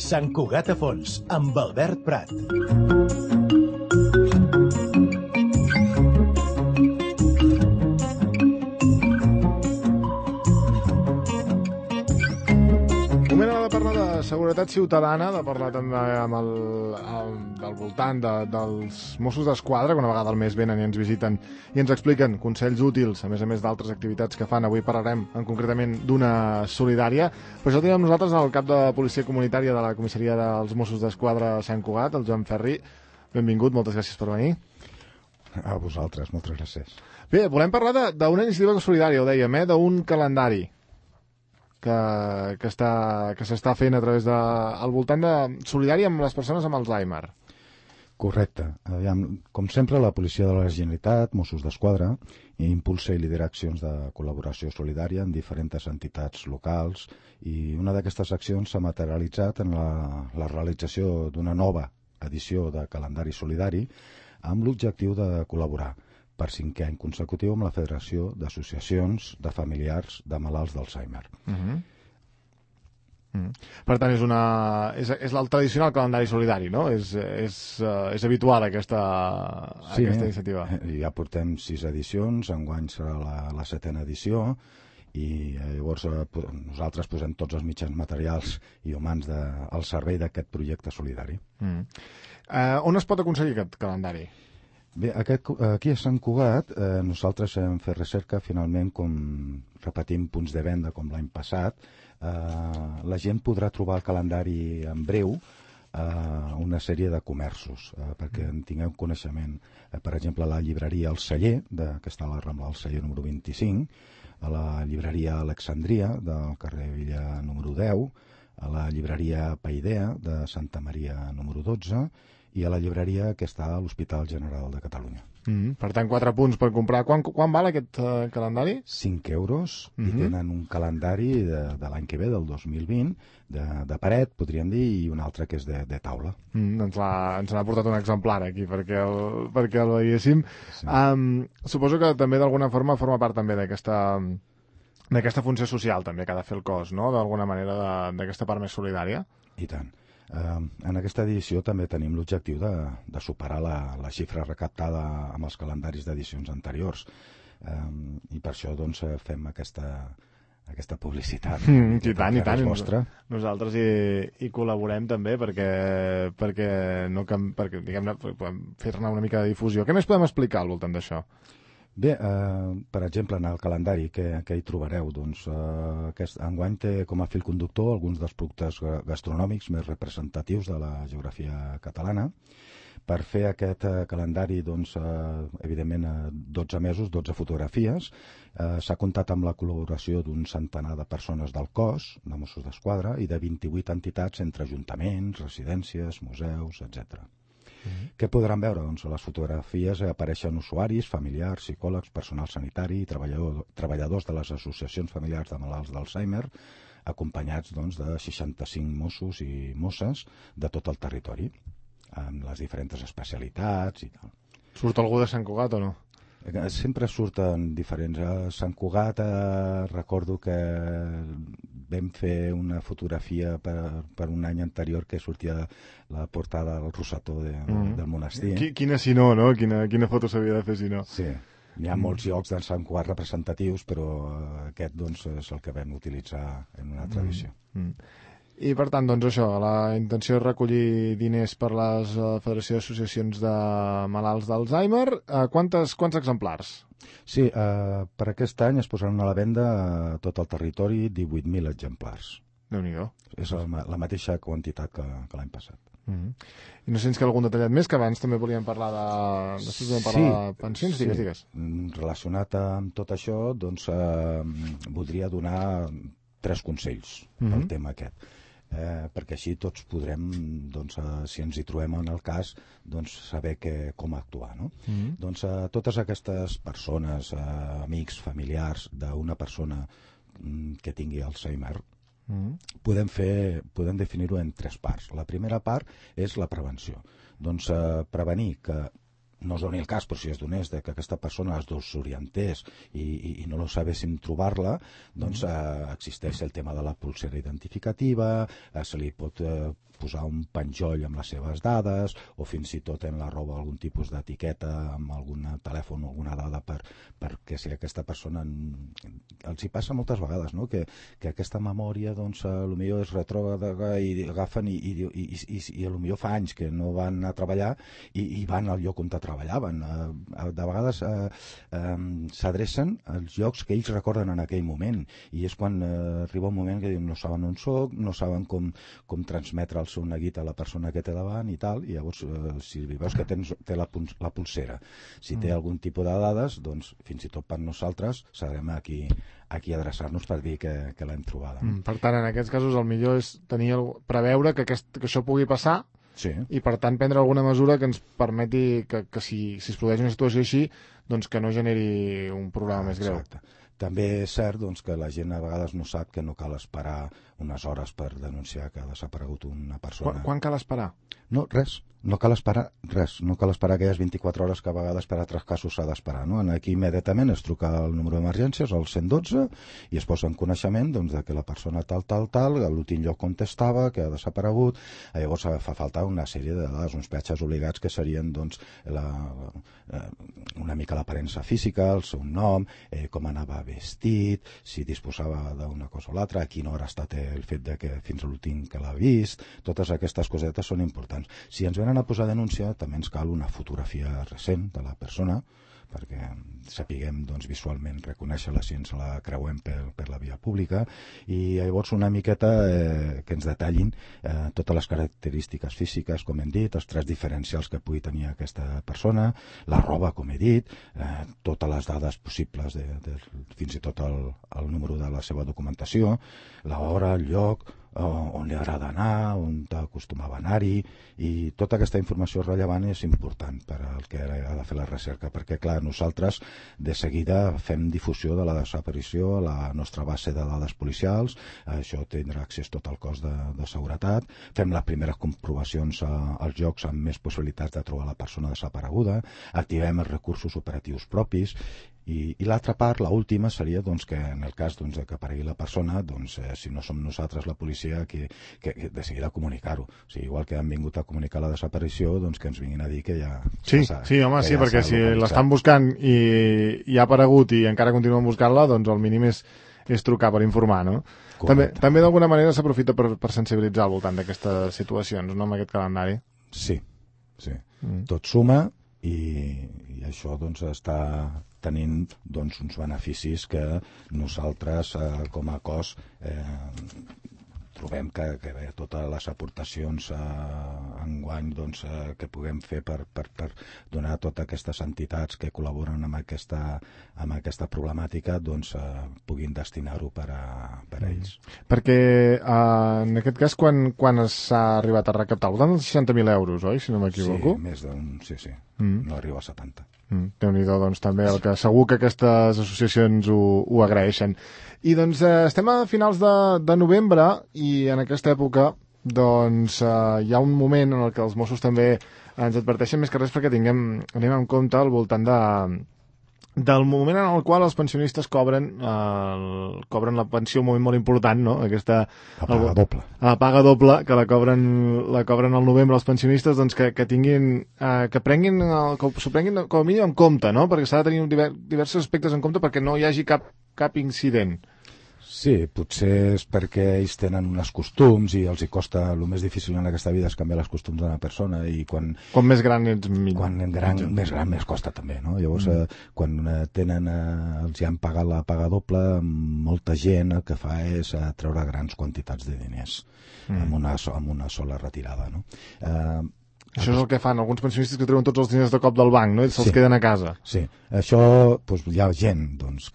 Sant Cugat a fons, amb Albert Prat. Moment ara de parlar de seguretat ciutadana, de parlar també del voltant dels Mossos d'Esquadra, que una vegada al mes venen i ens visiten i ens expliquen consells útils, a més d'altres activitats que fan. Avui parlarem concretament d'una solidària, però això tenim nosaltres el cap de policia comunitària de la comissaria dels Mossos d'Esquadra a Sant Cugat, el Joan Ferri. Benvingut, moltes gràcies per venir. A vosaltres, moltes gràcies. Bé, volem parlar d'una iniciativa solidària, ho dèiem, d'un calendari que s'està fent a través al voltant de solidari amb les persones amb Alzheimer. Correcte. Com sempre, la Policia de la Generalitat, Mossos d'Esquadra, impulsa i lidera accions de col·laboració solidària en diferents entitats locals, i una d'aquestes accions s'ha materialitzat en la realització d'una nova edició de calendari solidari amb l'objectiu de col·laborar per 5è any consecutiu amb la Federació d'Associacions de Familiars de Malalts d'Alzheimer. Per tant, és el tradicional calendari solidari, no? És habitual aquesta iniciativa. Ja portem 6 edicions, enguany serà la 7a edició, i llavors nosaltres posem tots els mitjans materials i humans al servei d'aquest projecte solidari. On es pot aconseguir aquest calendari? Bé, aquí a Sant Cugat nosaltres hem fet recerca, finalment, com repetim punts de venda com l'any passat. La gent podrà trobar el calendari en breu a una sèrie de comerços, perquè en tingueu coneixement. Per exemple, a la llibreria El Celler, que està a la Rambla del Celler número 25, a la llibreria Alexandria, del carrer Villa número 10, a la llibreria Paidea, de Santa Maria número 12, i a la llibreria que està a l'Hospital General de Catalunya. Per tant, 4 punts per comprar. Quan val aquest calendari? 5 euros, i tenen un calendari de l'any que ve, del 2020, de paret, podríem dir, i un altre que és de taula. Ens n'ha portat un exemplar aquí perquè el veiéssim. Sí. Suposo que també d'alguna forma forma part també d'aquesta funció social també que ha de fer el cos, no? D'alguna manera d'aquesta part més solidària. I tant. En aquesta edició també tenim l'objectiu de superar la xifra recaptada amb els calendaris d'edicions anteriors, i per això doncs fem aquesta publicitat. I tant. Nosaltres hi col·laborem també perquè diguem-ne podem fer-ne una mica de difusió. Què més podem explicar al voltant d'això? Bé, per exemple, en el calendari que hi trobareu, doncs, enguany té com a fil conductor alguns dels productes gastronòmics més representatius de la geografia catalana. Per fer aquest calendari, doncs, evidentment, 12 mesos, 12 fotografies, s'ha comptat amb la col·laboració d'un centenar de persones del cos, de Mossos d'Esquadra, i de 28 entitats entre ajuntaments, residències, museus, etc. Què podran veure? Doncs a les fotografies apareixen usuaris, familiars, psicòlegs, personal sanitari i treballadors de les associacions familiars de malalts d'Alzheimer, acompanyats doncs, de 65 Mossos i Mosses de tot el territori, amb les diferents especialitats i tal. Surt algú de Sant Cugat o no? Sempre surten diferents. A Sant Cugat recordo que vam fer una fotografia per un any anterior que sortia la portada del rosetó del monestir. Quina si no, no? Quina foto s'havia de fer si no? Sí, hi ha molts llocs de Sant Cugat representatius, però aquest doncs, és el que vam utilitzar en una altra edició. I per tant, doncs això, la intenció és recollir diners per la Federació d'Associacions de Malalts d'Alzheimer. Quants exemplars? Sí, per aquest any es posaran a la venda a tot el territori 18.000 exemplars. Déu-n'hi-do. És la mateixa quantitat que l'any passat. I no sé si ens queda algun detallet més, que abans també volíem parlar de pensions, digues. Relacionat amb tot això, doncs voldria donar 3 consells pel tema aquest. Perquè així tots podrem, doncs, si ens hi trobem en el cas, doncs, saber com actuar, no? Doncs totes aquestes persones, amics, familiars d'una persona que tingui Alzheimer, podem definir-ho en 3 parts. La primera part és la prevenció. Doncs prevenir que no es doni el cas, però si es donés que aquesta persona es desorientés i no lo sabéssim trobar-la, doncs existeix el tema de la pulsera identificativa, se li pot posar un penjoll amb les seves dades o fins i tot en la roba algun tipus d'etiqueta amb algun telèfon o alguna dada perquè si aquesta persona els hi passa moltes vegades, no? que aquesta memòria doncs potser és retrògrada i agafen i potser fa anys que no van a treballar i van al lloc on treballaven. De vegades s'adrecen als llocs que ells recorden en aquell moment i és quan arriba un moment que diuen no saben on soc, no saben com transmetre el seu neguit a la persona que té davant i tal, i llavors si veus que té la pulsera, si té algun tipus de dades, doncs fins i tot per nosaltres sabrem aquí adreçar-nos per dir que l'hem trobada. Per tant, en aquests casos el millor és preveure que això pugui passar. Sí. I per tant prendre alguna mesura que ens permeti que si es produeix una situació així doncs que no generi un problema més greu. Exacte. També és cert doncs, que la gent a vegades no sap que no cal esperar unes hores per denunciar que ha desaparegut una persona. Quan cal esperar? No, res. No cal esperar res. No cal esperar aquelles 24 hores que a vegades per altres casos s'ha d'esperar. No? Aquí immediatament es truca al número d'emergències, al 112, i es posa en coneixement doncs, de que la persona tal, a l'últim lloc on estava, que ha desaparegut. Llavors fa falta una sèrie de dades, uns peatges obligats que serien doncs, una mica l'aparença física, el seu nom, com anava vestit, si disposava d'una cosa o l'altra, a quina hora ha estat el fet de que fins a l'últim que l'ha vist. Totes aquestes cosetes són importants. Si ens venen a posar denúncia, també ens cal una fotografia recent de la persona perquè sapiguem doncs, visualment reconèixer-la si ens la creuem per la via pública i llavors una miqueta que ens detallin totes les característiques físiques, com hem dit, els trets diferencials que pugui tenir aquesta persona, la roba, com he dit, totes les dades possibles, fins i tot el número de la seva documentació, l'hora, el lloc, on li agrada anar, on acostumava a anar-hi, i tota aquesta informació rellevant és important per al que ha de fer la recerca, perquè clar, nosaltres de seguida fem difusió de la desaparició a la nostra base de dades policials, això tindrà accés tot el cos de seguretat, fem les primeres comprovacions als llocs amb més possibilitats de trobar la persona desapareguda, activem els recursos operatius propis, i l'altra part, l'última, seria doncs, que en el cas doncs, que aparegui la persona, doncs, si no som nosaltres la policia, que de seguida comunicar-ho. O sigui, igual que han vingut a comunicar la desaparició, doncs que ens vinguin a dir que ja... Sí, home, sí, perquè si l'estan buscant i ha aparegut i encara continuen buscant-la, doncs el mínim és trucar per informar, no? També d'alguna manera s'aprofita per sensibilitzar al voltant d'aquestes situacions, no?, amb aquest calendari. Sí. Tot suma i això doncs està tenint doncs, uns beneficis que nosaltres com a cos trobem que totes les aportacions enguany doncs, que puguem fer per donar a totes aquestes entitats que col·laboren amb aquesta problemàtica doncs, puguin destinar-ho per a ells. Perquè en aquest cas quan s'ha arribat a recaptar? Al voltant dels 60.000 euros, oi? Si no m'equivoco. Sí, més d'un... Sí. No arriba a 70. Déu-n'hi-do, doncs també el que segur que aquestes associacions ho agraeixen. I doncs estem a finals de novembre i en aquesta època doncs hi ha un moment en el que els Mossos també ens adverteixen més que res perquè anem en compte al voltant del moment en el qual els pensionistes cobren la pensió, un moment molt important, no? La paga doble. La paga doble, que la cobren al novembre els pensionistes, doncs que tinguin, que s'ho prenguin com a mínim en compte, no? Perquè s'ha de tenir diversos aspectes en compte perquè no hi hagi cap incident. Sí, potser és perquè ells tenen uns costums i els hi costa, el més difícil en aquesta vida és canviar els costums d'una persona i quan més gran ets millor. Més gran més costa també, no? Llavors, quan els hi han pagat la paga doble, molta gent el que fa és treure grans quantitats de diners amb una sola retirada, no? Això és el que fan alguns pensionistes que treuen tots els diners de cop del banc, no? I se'ls queden a casa. Sí, això, doncs, hi ha gent doncs,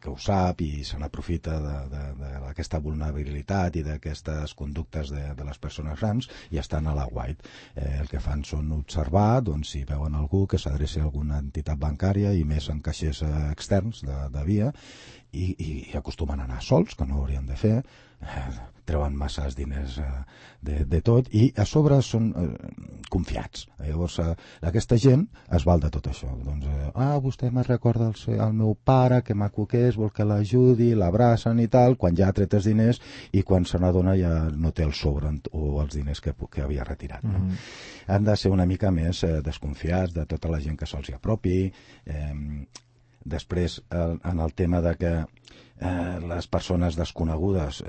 que ho sap i se n'aprofita d'aquesta vulnerabilitat i d'aquestes conductes de les persones grans i estan a la white. El que fan són observar, doncs, si veuen algú que s'adreci a alguna entitat bancària i més en caixers externs de via i acostumen a anar sols, que no ho haurien de fer, treuen masses diners de tot i a sobre són desconfiats. Llavors, aquesta gent es val de tot això. Doncs, vostè me recorda el meu pare, que maco que és, vol que l'ajudi, l'abracen i tal, quan ja ha tret els diners i quan se n'adona ja no té el sobre o els diners que havia retirat. No? Han de ser una mica més desconfiats de tota la gent que se'ls apropi. Després, en el tema de que les persones desconegudes,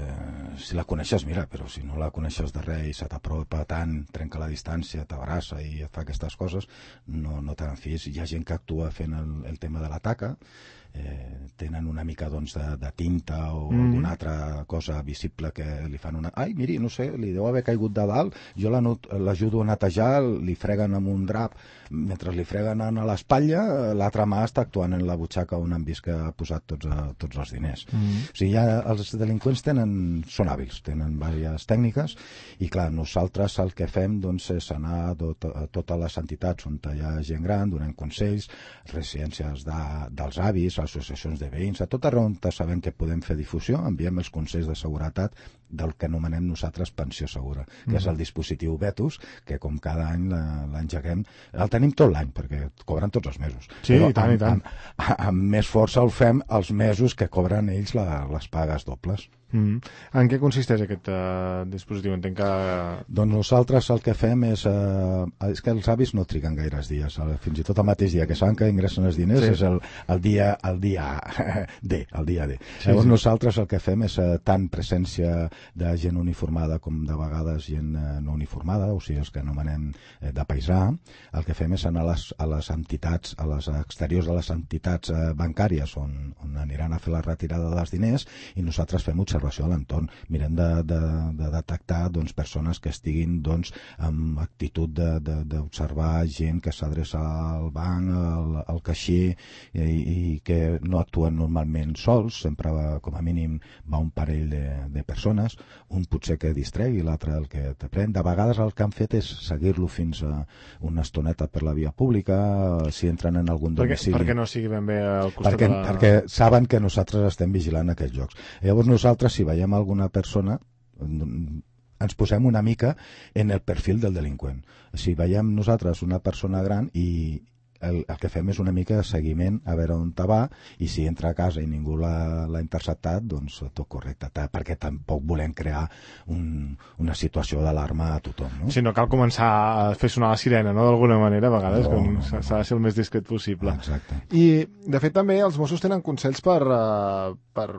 si la coneixes, mira, però si no la coneixes de res i se t'apropa tant, trenca la distància, t'abraça i et fa aquestes coses, no te n'enfiïs. Hi ha gent que actua fent el tema de la taca, tenen una mica doncs, de tinta o alguna altra cosa visible que li fan una... Ai, miri, no sé, li deu haver caigut de dalt, jo l'ajudo a netejar, li freguen amb un drap, mentre li freguen a l'espatlla, l'altra mà està actuant en la butxaca on han vist que ha posat tots els diners. O sigui, els delinqüents són hàbils, tenen diverses tècniques i clar, nosaltres el que fem doncs, és anar a totes les entitats on hi ha gent gran, donant consells, residències dels avis, associacions de veïns, a tot arreu on sabem que podem fer difusió, enviem els consells de seguretat del que anomenem nosaltres pensió segura, que és el dispositiu Vetus, que com cada any l'engeguem, el tenim tot l'any, perquè cobren tots els mesos. Sí, i tant, i tant. Amb més força el fem els mesos que cobren ells les pagues dobles. En què consisteix aquest dispositiu? Entenc que... Doncs nosaltres el que fem és que els avis no triguen gaires dies, fins i tot el mateix dia que saben que ingressen els diners és el dia D. Llavors nosaltres el que fem és tant presència de gent uniformada com de vegades gent no uniformada, o sigui els que anomenem de paisà. El que fem és anar a les entitats, a les exteriors de les entitats bancàries on aniran a fer la retirada dels diners i nosaltres fem observació a l'entorn. Mirem de detectar persones que estiguin amb actitud d'observar gent que s'adreça al banc, al caixer i que no actuen normalment sols, sempre com a mínim va un parell de persones, un potser que distregui, l'altre el que te pren. De vegades el que han fet és seguir-lo fins a una estoneta per la via pública, si entren en algun domicili. Perquè no sigui ben bé al costat perquè saben que nosaltres estem vigilant aquests llocs. Llavors nosaltres, si veiem alguna persona, ens posem una mica en el perfil del delinqüent. Si veiem nosaltres una persona gran i el que fem és una mica de seguiment a veure on va i si entra a casa i ningú l'ha interceptat, doncs tot correcte, perquè tampoc volem crear una situació d'alarma a tothom. No? Sí, no cal començar a fer sonar la sirena, no?, d'alguna manera, a vegades, s'ha de ser el més discret possible. Exacte. I, de fet, també els Mossos tenen consells per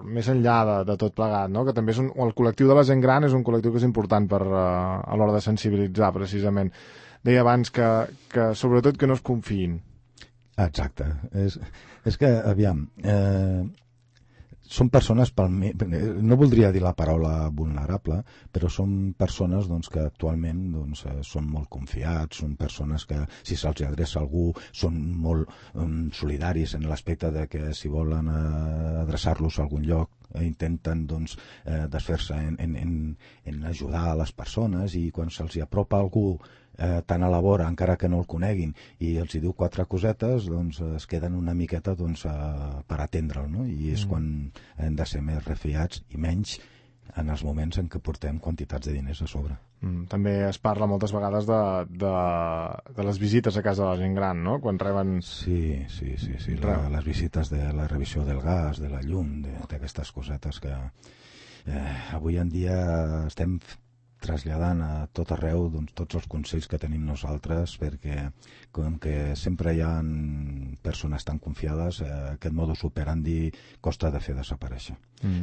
més enllà de tot plegat, no?, que també el col·lectiu de la gent gran és un col·lectiu que és important a l'hora de sensibilitzar, precisament. Deia abans que sobretot que no es confiïn. Exacte. És que, aviam, són persones, no voldria dir la paraula vulnerable, però són persones que actualment són molt confiats, són persones que, si se'ls adreça algú, són molt solidaris en l'aspecte de que si volen adreçar-los a algun lloc intenten desfer-se en ajudar a les persones i quan se'ls apropa algú tan a la vora, encara que no el coneguin, i els diu 4 cosetes, es queden una miqueta per atendre'l, no? I és quan hem de ser més refiats i menys en els moments en què portem quantitats de diners a sobre. També es parla moltes vegades de les visites a casa de la gent gran, no? Quan reben... Sí. Les visites de la revisió del gas, de la llum, d'aquestes cosetes que avui en dia estem traslladant a tot arreu tots els consells que tenim nosaltres, perquè com que sempre hi ha persones tan confiades, aquest modus operandi costa de fer desaparèixer.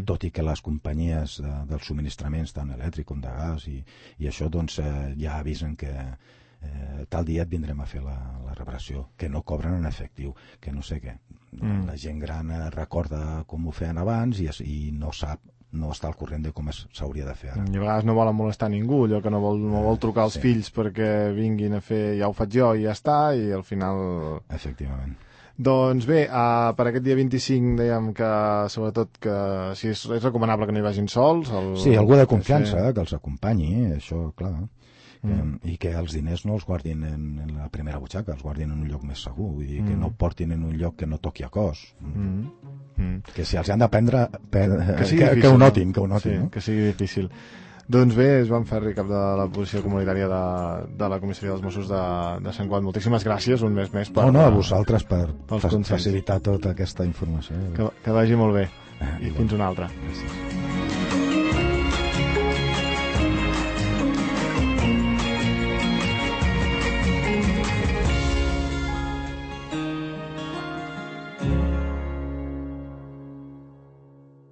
Tot i que les companyies dels subministraments, tant elèctric com de gas i això, ja avisen que tal dia et vindrem a fer la reparació, que no cobren en efectiu, que no sé què. La gent gran recorda com ho feien abans i no sap, no està al corrent de com s'hauria de fer ara. I a vegades no volen molestar ningú, allò que no vol trucar als fills perquè vinguin a fer, ja ho faig jo i ja està, i al final... Efectivament. Doncs bé, per aquest dia 25 dèiem que sobretot que si és recomanable que no hi vagin sols. Sí, algú de confiança, que els acompanyi, això, clar. I que els diners no els guardin en la primera butxaca, els guardin en un lloc més segur, i que no portin en un lloc que no toqui a cos. Que si els han de prendre, que ho notin. Sí, que sigui difícil. Doncs bé, és Joan Ferri, cap de la policia comunitària de la comissaria dels Mossos de Sant Cugat. Moltíssimes gràcies, un mes més. No, a vosaltres per facilitar tota aquesta informació. Que vagi molt bé. I fins una altra. Gràcies.